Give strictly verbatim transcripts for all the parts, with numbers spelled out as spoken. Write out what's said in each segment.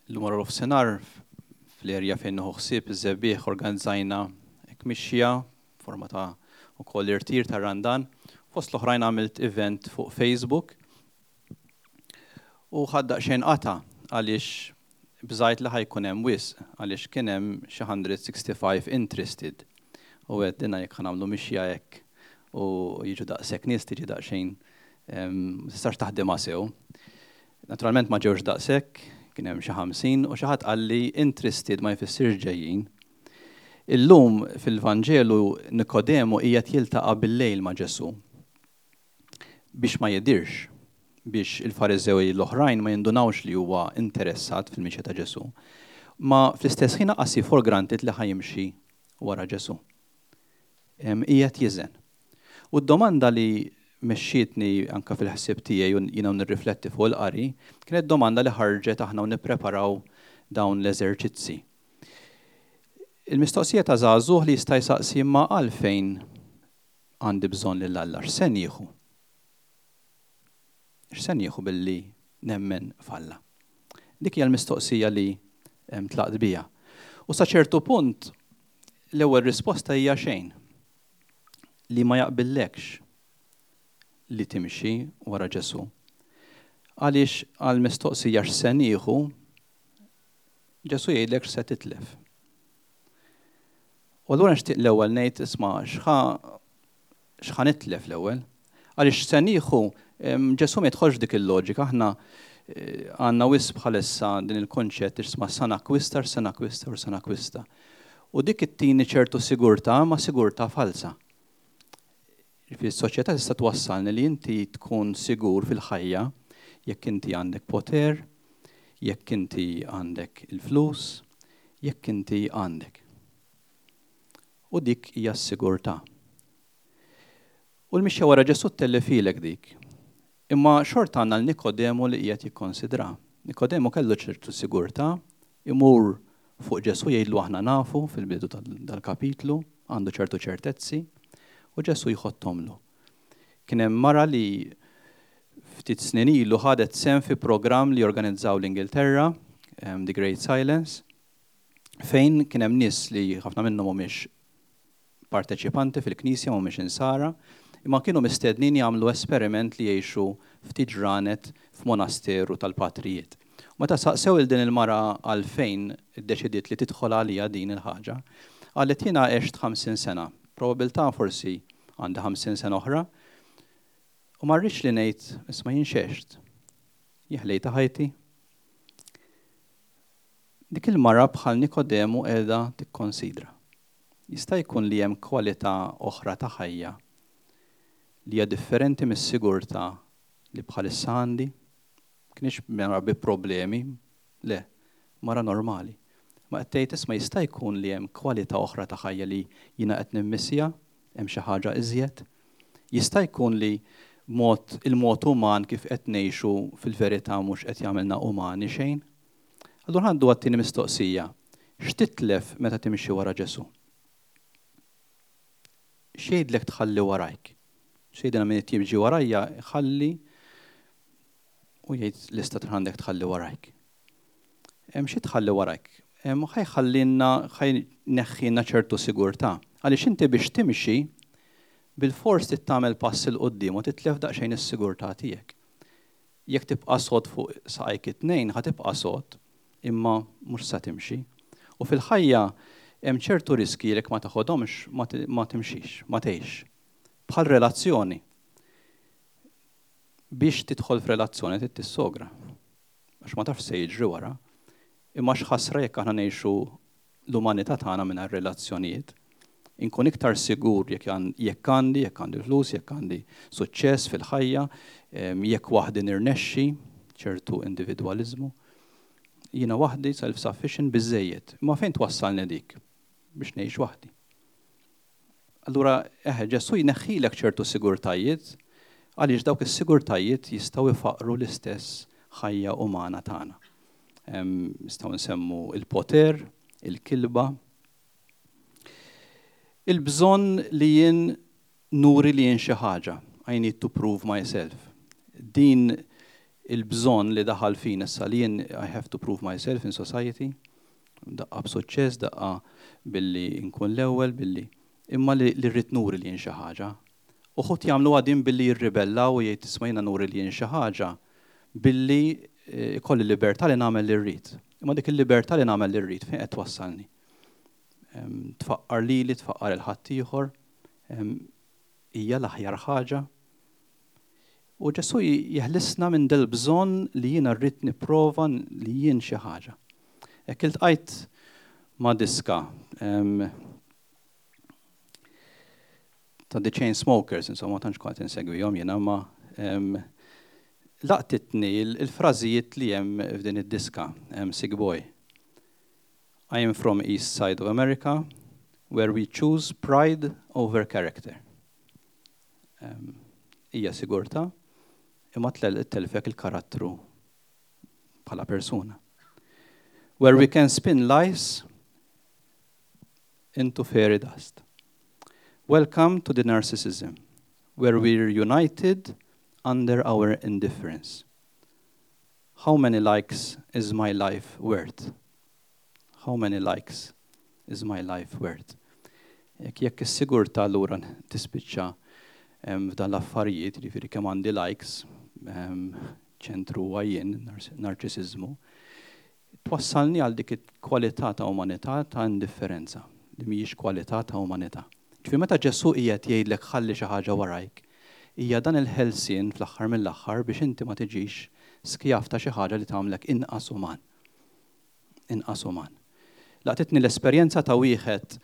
Illum wara nofsinhar fl-erja fejn nieħu ħsieb iż-Żebbiegħ organizzajna hekk mixja forma ta' ukoll irtir ta' Randan. Fost l-oħrajn għamilt event fuq Facebook u ħadt daqsxejn qatgħa għaliex bżajt li ħa jkun hemm wisq, għaliex kien hemm xi mija u sitta u ħamsin interested. U għedt dinna jekk ħa nagħmlu mixja hekk u jiġu daqshekk nies, tiġi daqsxejn tistax taħdimha sew. Naturalment ma ġewx daqshekk, kien hemm xi ħamsin u xi ħadd qalli interested ma jfissirx ġejjin. Illum fil-Vanġelu Nikodemu qiegħed jiltaqa' bil-lejl ma' Ġesu biex ma jidirx, biex il-Fariżewi l-oħrajn ma jindunawx li huwa interessat fil-mixja ta' Ġesu. Ma fl-istess ħin qasi for granted li ħa jimxi wara Ġesu. Qiegħed jiżen. U d-domanda li mexxietni anka fil-ħsieb tiegħi u jiena nirrifletti fuq il-qari kienet domanda li ħarġet aħna u nippreparaw dawn l-eżerċizzi. Il-mistoqsija ta' żagħżugħ li jista' jsaqsi: ma għalfejn għandi bżonn lil Alla, x'se nieħu? X'se nieħu billi nemmen f'Alla? Dik hija l-mistoqsija li tlaqt bija. U sa ċertu punt l-ewwel risposta hija xejn, li ma jaqbillekx li timxi wara Ġesu. Għaliex għal mistoqsija x'se nieħu, Ġesu jgħidlek x'se titlef. U allura nixtieq l-ewwel ngħid, isma', x'ħa x'ħa nitlef l-ewwel? Għaliex se nieħu, Ġesu ma jidħolx dik il-loġika. Aħna eh, għandna wisq bħalissa din il-konċett, isma', sa nakwista, sa nakwista u sa nakwista. U dik ittini ċertu sigurtà, ma sigurtà falsa. Fis-soċjetà tista' twassalni li inti tkun sigur fil-ħajja jekk inti għandek poter, jekk inti għandek il-flus, jekk inti għandek. U dik hija s-sigurtà. U l-mixja wara Ġesu ttellifhielek dik. Imma xorta għandna l-Nikodemu li qiegħed jikkonsidra. Nikodemu kellu ċertu sigurtà, imur fuq Ġesu jgħidlu aħna nafu fil-bidu dal-kapitlu, għandu ċertu ċertezzi, u Ġesu jħottomlu. Kien hemm mara li ftit snin ilu ħadet sehem fi programm li organizzaw l-Ingilterra, The Great Silence, fejn kien hemm nies li ħafna minnhom mhumiex parteċipanti fil-Knisja, mhumiex insara, imma kienu mistednin jagħmlu esperiment li jgħixu ftit ġranet f'monasteru tal-patrijiet. Meta saqsew il din il-mara għalfejn iddeċidiet li tidħol għalija din il-ħaġa, qalet: jiena għext ħamsin sena, probabilità forsi għandi ħamsin sena oħra, u ma rridx li ngħid, isma', jien x'għext. Ħlejt ħajti. Dik il-mara bħal Nikodemu qiegħda tikkonsidra. Jista' jkun li hemm kwalità oħra ta' ħajja li hija differenti mis-sigurtà li bħalissa għandi. Kienx mara bi problemi, le, mara normali. Ma qed tgħid, isma', jista' jkun li hemm kwalità oħra ta' ħajja li jiena qed nimmissja, hemm xi ħaġa iżjed. Jista' jkun li mod il-mod uman kif qed ngħixu fil-verità mhux qed jagħmilna umani xejn. Allura għandu għat-tieni mistoqsija. X'titlef meta timxi wara Ġesu? X'jgħidlek tħalli warajk? X'jgħidilna min jiġi warajja ħalli u jgħid lista għandek tħalli warajk. Hemm xi tħalli warajk? Hemm ħa jħallinna, ħa jneħħilna ċertu sigurtà. Għaliex inti biex timxi bil-fors tagħmel pass 'il quddiem u titlef daqsxejn is-sigurtà tiegħek. Jekk tibqa' sod fuq saqajk it-tnejn, ħa tibqa' sod, imma mhux sa timxi. U fil-ħajja hemm ċertu riski li ma taħodhomx ma timxix, ma tgħix. Bħal relazzjoni. Biex tidħol f'relazzjoni trid tissogra. Għax ma tafx se jiġri wara. Imma x'ħasra jekk aħna ngħixu l-umanità tagħna mingħajr relazzjonijiet. Inkun iktar sigur jekk għandi, jekk għandi flus, jekk għandi suċċess fil-ħajja, jekk waħdi nirnexxi, ċertu individwaliżmu. Jiena waħdi self-sufficient biżejjed. Imma fejn twassalni dik? Biex ngħix waħdi. Allura, eħe, Ġesu jneħħilek ċertu sigurtajiet għaliex dawk is-sigurtajiet jistgħu jfaqru l-istess ħajja umana tagħna. Nistgħu nsemmu il-poter, il-kilba, il-bżonn li jien nuri li jien xi ħaġa. I need to prove myself. Din Il-bżonn li daħal fin issa li jien I have to prove myself in society, daqqa b'suċċess, daqqa billi nkun l-ewwel, billi imma li rrid nuri li jien xi ħaġa. Uħud jagħmlu għadin billi jirribellaw u jgħid, "Isma', jiena nuri li jien xi ħaġa billi eh, ikolli libertà li nagħmel li rrid." Imma dik il-libertà li nagħmel li rrid fejn qed twassalni? Tfaqqar lili, tfaqqar il-ħaddieħor, hija l-aħjar ħaġa. U Ġesù jeħlisna minn del bżonn li jiena rrid nipprova li jien xi ħaġa. Hekk iltqajt ma' diska ta' The Chainsmokers, insomma, tantx kont insegwihom jiena, ma laqtitni il-frażijiet li hemm f'din id-diska, "Sick Boy". "I am from east side of America, where we choose pride over character." Hija sigurta, imma telfek il-karattru bħala persuna. "Where we can spin lies into fairy dust. Welcome to the narcissism, where we're united under our indifference. How many likes is my life worth? How many likes is my life worth?" Jekk jekk is-sigurtà allura tispiċċa f'dan l-affarijiet, jiġifieri kemm għandi likes, ċentru għajjen, narċisizmu, twassalni għal dik kwalità ta' umanità ta' indifferenza, li mhijiex kwalità ta' umanità. Ġifieri meta Ġesù qiegħed jgħidlek ħalli xi ħaġa warajk, hija dan il-ħelsien fl-aħħar mill-aħħar biex inti ma tiġix skjav ta' xi ħaġa li tagħmlek inqas uman. Inqas uman. Laqtitni l-esperjenza ta' wieħed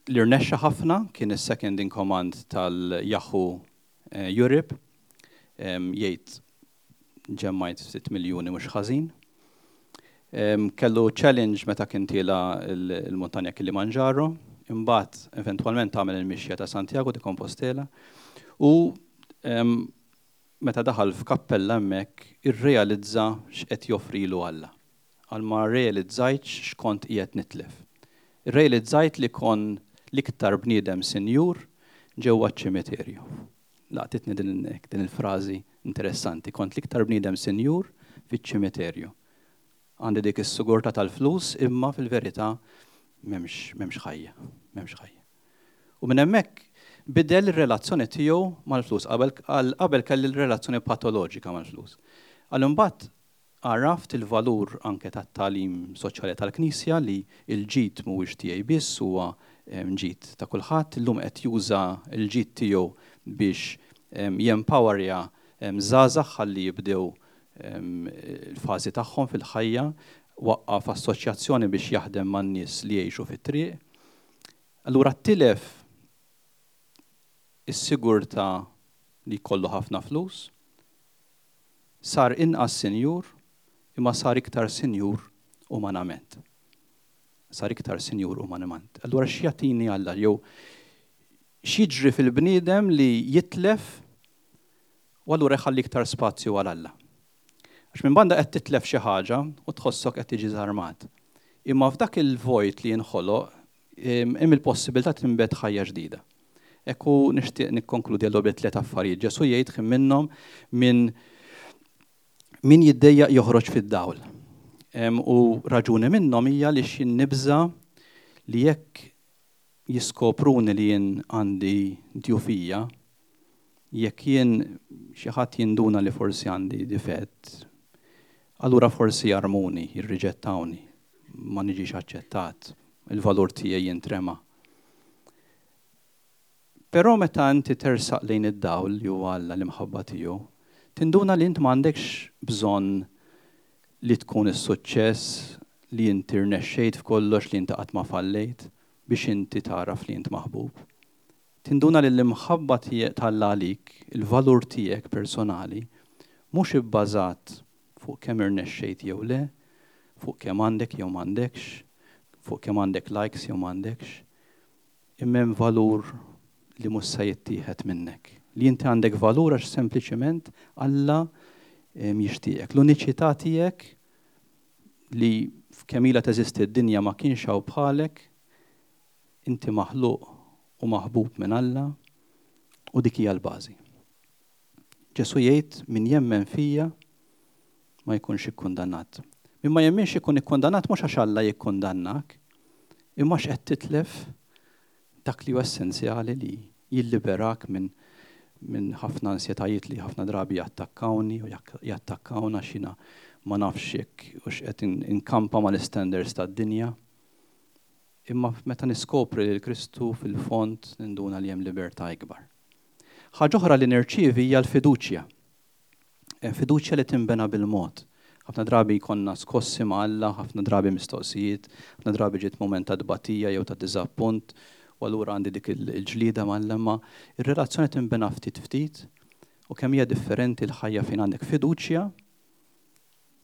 li rnexxa ħafna, kien is-second in command tal-Yahoo eh, Europe, jgħid, "Ġemmajt ftit miljuni mhux ħażin." Kellu challenge meta kien tiela' il-muntanja Kilimanjaro, imbagħad eventwalment għamel il-mixja ta' Santiago de Compostela u meta daħal f'kappella hemmhekk irrealizza x'qed joffrilu Alla. Għal "ma realizzajtx x'kont qiegħed nitlef. Irrealizzajt li kont l-iktar bniedem sinjur ġewwa ċ-ċimiterju." Laqtitni din, din il-frażi interessanti. "Kont l-iktar bniedem sinjur fiċ-ċimiterju." Għandi dik is-sigurtà tal-flus, imma fil-verità m'hemmx m'hemmx ħajja, m'hemmx ħajja. U minn hemmhekk bidel ir-relazzjoni tiegħu mal-flus. Qabel qabel kelli l-relazzjoni patoloġika mal-flus. Għal imbagħad għaraft il-valur anke tat-tagħlim soċjali tal-Knisja li il-ġid mhuwiex tiegħi biss, huwa ġid ta' kulħadd. Illum qed juża l-ġid tiegħu biex jempowerja żgħażagħ ħalli jibdew il-fażi tagħhom fil-ħajja, waqqaf assoċjazzjoni biex jaħdem man-nies li jgħixu fit-triq. Allura tilef is-sigurtà li jkollu ħafna flus, sar inqas sinjur, imma sar iktar sinjur umanament. Sar iktar sinjur umanament. Allura x'jagħtini Alla jew x'jiġri fil-bniedem li jitlef u allura jħalli iktar spazju għal Alla? Għax minn banda qed titlef xi ħaġa u tħossok qed tiġi żarmat. Imma f'dak il-vojt li jinħoloq hemm il-possibilità tinbet ħajja ġdida. Ekku nixtieq nikkonkludi għallu bi tliet affarijiet. Ġesù jgħid minnhom minn min jiddejjaq joħroġ fid-dawl. U raġuni minnhom hija li xi nibża li jekk jiskopruni li jien għandi djufija, jekk jien xi ħadd jinduna li forsi għandi difett, allura forsi jarmuni, jirriġettawni, ma niġix aċċettat, il-valur tiegħi jintrema. Però meta inti tersaq lejn id-dawl li huwa Alla, l-imħabba tiegħu, tinduna li int m'għandekx bżonn li tkun is-suċċess, li inti rnexxejt f'kollox, li inti qatt ma fallejt biex inti taraf li int maħbub. Tinduna li l-imħabba t'Alla għalik, il-valur tiegħek personali, mhux ibbażat fuq kemm irnexxejt jew le, fuq kemm għandek jew m'għandekx, fuq kemm għandek likes jew m'għandekx, imma hemm valur li mhux se jittieħed minnek. Li inti għandek valur għax sempliċement Alla jixtieqek. L-uniċità tiegħek li f'kemm ilha teżisti d-dinja ma kienx hawn bħalek, inti maħluq u maħbub minn Alla u dik hija l-bażi. Ġesù jgħid min jemmen fija ma jkunx ikkundannat. Min ma jemminx ikun ikkundannat mhux għax Alla jikkundannak, imma għax qed titlef dak li huwa essenzjali li jilliberak minn min ħafna ansjetajiet li ħafna drabi jattakkawni u jattakkawna xina ma nafx jekk u x'qed inkampa mal-standards tad-dinja. Imma meta niskopri lil Kristu fil-fond ninduna li hemm libertà ikbar. Ħaġa oħra li nirċievi hija l-fiduċja. Fiduċja li tinbena bil-mod. Ħafna drabi konna skossi ma' Alla, ħafna drabi mistoqsijiet, ħafna drabi ġiet moment ta' tbatija jew ta' diżappunt, u allura għandi dik il-ġlieda ma' Alla, imma ir-relazzjoni tinbena ftit ftit u kemm hija differenti l-ħajja fejn għandek fiduċja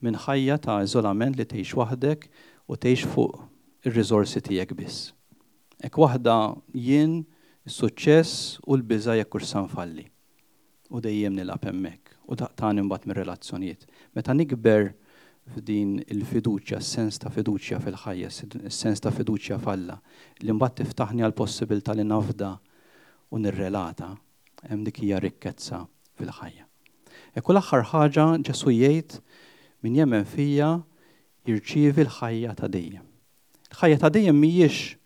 minn ħajja ta' iżolament li tgħix waħdek u tgħix fuq ir-riżorsi tiegħek biss. Hekk waħda jien is-suċċess u l-biża' jekk hux sa nfalli. U dejjem nilgħab hemmhekk u daqtani mbagħad mir-relazzjonijiet. Meta nikber f'din il-fiduċja, s-sens ta' fiduċja fil-ħajja, s-sens ta' fiduċja f'Alla, li mbagħad tiftaħni għal possibilità li nafda u nirrelata, hemm dik hija rikkezza fil-ħajja. Ekku l-aħħar ħaġa Ġesù jgħid min jemmen fija jirċievi l-ħajja ta' dejjem. Il-ħajja ta' dejjem mhijiex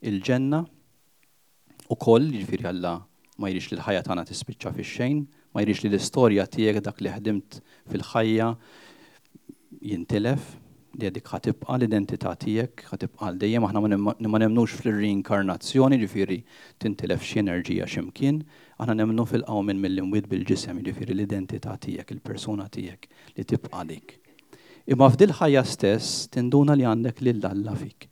il-ġenna ukoll, jiġifieri Alla ma jridx li l-ħajja tagħna tispiċċa fix-xejn, ma jridx li l-istorja tiegħek dak li ħdimt fil-ħajja jintilef, li dik ħa tibqa' l-identità tiegħek, ħa tibqa' għal dejjem, aħna ma nemmnux fil-reinkarnazzjoni, ġifieri tintilef xi enerġija x'imkien, aħna nemmnu fil-qawmien mill-imwiet bil-ġisem, ġifieri l-identità tiegħek, il-persuna tiegħek li tibqa' dik. Imma f'dil ħajja stess tinduna li għandek lil Alla fik.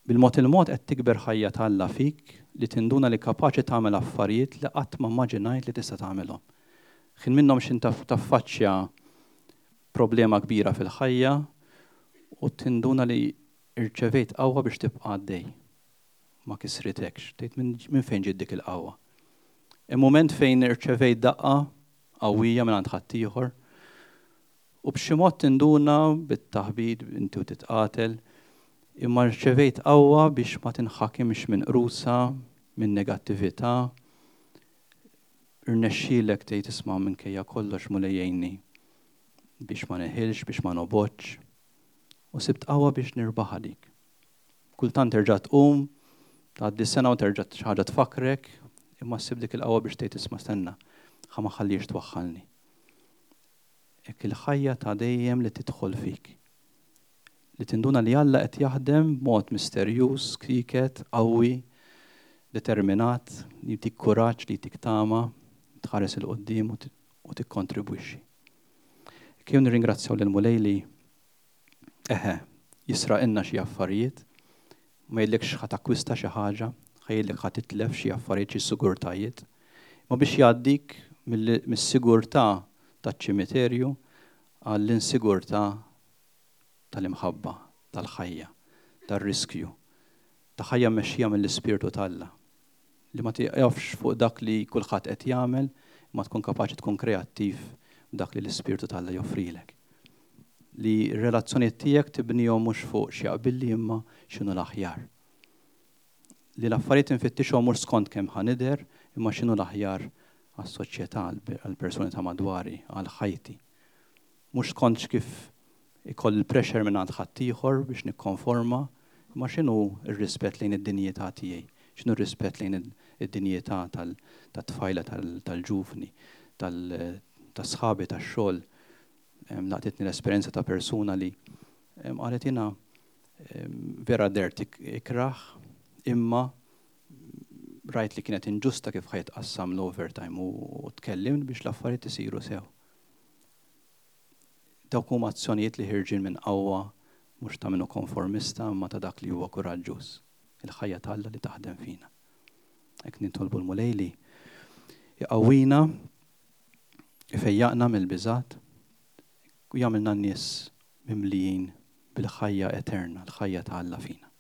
Bil-mod il-mod qed tikber ħajja ta' Alla fik li tinduna li kapaċi tagħmel affarijiet li qatt ma immaġinajt li tista' tagħmelhom. Ħin minnhom x'in taffaċċja problema kbira fil-ħajja u tinduna li irċevejt qawwa biex tibqa' għaddej. Ma kisritekx, tgħid minn fejn ġiet dik il-qawwa. Hemm mument fejn irċevejt daqqa qawwija minn għand ħaddieħor u b'xi mod tinduna bit-taħbit inti u titqatel, imma rċevejt qawwa biex ma tinħakimx minn qrusa, minn negattività. Irnexxielek tgħid isma' minkejja kollox Mulej jgħinni biex ma neħilx, biex ma nobgħodx. U sibt qawwa biex nirbaħ dik. Kultant terġa' tqum, tgħaddi sena u terġa' xi ħaġa tfakkrek, imma ssib dik il-qawwa biex tgħid isma' stenna, ħa ma ħallix twaħħalni. Hekk il-ħajja ta' dejjem li tidħol fik. Li tinduna li Alla qed jaħdem b'mod misterjuż, sieket, qawwi, determinat, li jtik kuraġġ, li jtik tama, tħares 'il quddiem u tikkontribwixxi. Kif nirringrazzjaw lil Mulej li eħe jisraqilna xi affarijiet, ma jgħidlekx ħa takkwista xi ħaġa, ħa jgħidlek ħa titlef xi affarijiet, xi sigurtajiet, ma biex jgħaddik mis-sigurtà taċ-ċimiterju għall-insigurtà tal-imħabba, tal-ħajja, tar-riskju, ta' ħajja mmexxija mill-Ispirtu t'Alla, li ma tieqafx fuq dak li kulħadd qed jagħmel, ma tkun kapaċi tkun kreattiv dak li l-Ispirtu t'Alla joffrilek. Li r-relazzjonijiet tiegħek tibnihom mhux fuq xi jaqbilli imma x'inhu l-aħjar. Li l-affarijiet infittixhom mhux skont kemm ħa nidher, imma x'inhu l-aħjar għas-soċjetà, għall-persuni ta' madwari, għal ħajti. Mhux skont kif ikoll il-pressure minn għand ħaddieħor biex nikkonforma, imma x'inhu r-rispett lejn id-dinjità tiegħi, x'inhu r-rispett lejn id-dinjità tat-tfajla, tal-ġuvni, tas-sħabi tax-xogħol. Laqtitni l-esperjenza ta' persuna li qalet jiena vera dert ikrah, imma rajt li kienet inġusta kif ħa jitqassam l-overtime u tkellimt biex l-affarijiet isiru sew. Dawk huma azzjonijiet li ħirġin minn qawwa mhux ta' minnu konformista imma ta' dak li huwa kuraġġuż, il-ħajja t'Alla li taħdem fina. Hekk nitolbu l-Mulej li jqawwina, ifejjaqna mill-biżat u jagħmilna n-nies mimlijin bil-ħajja eterna, l-ħajja ta' Alla fina.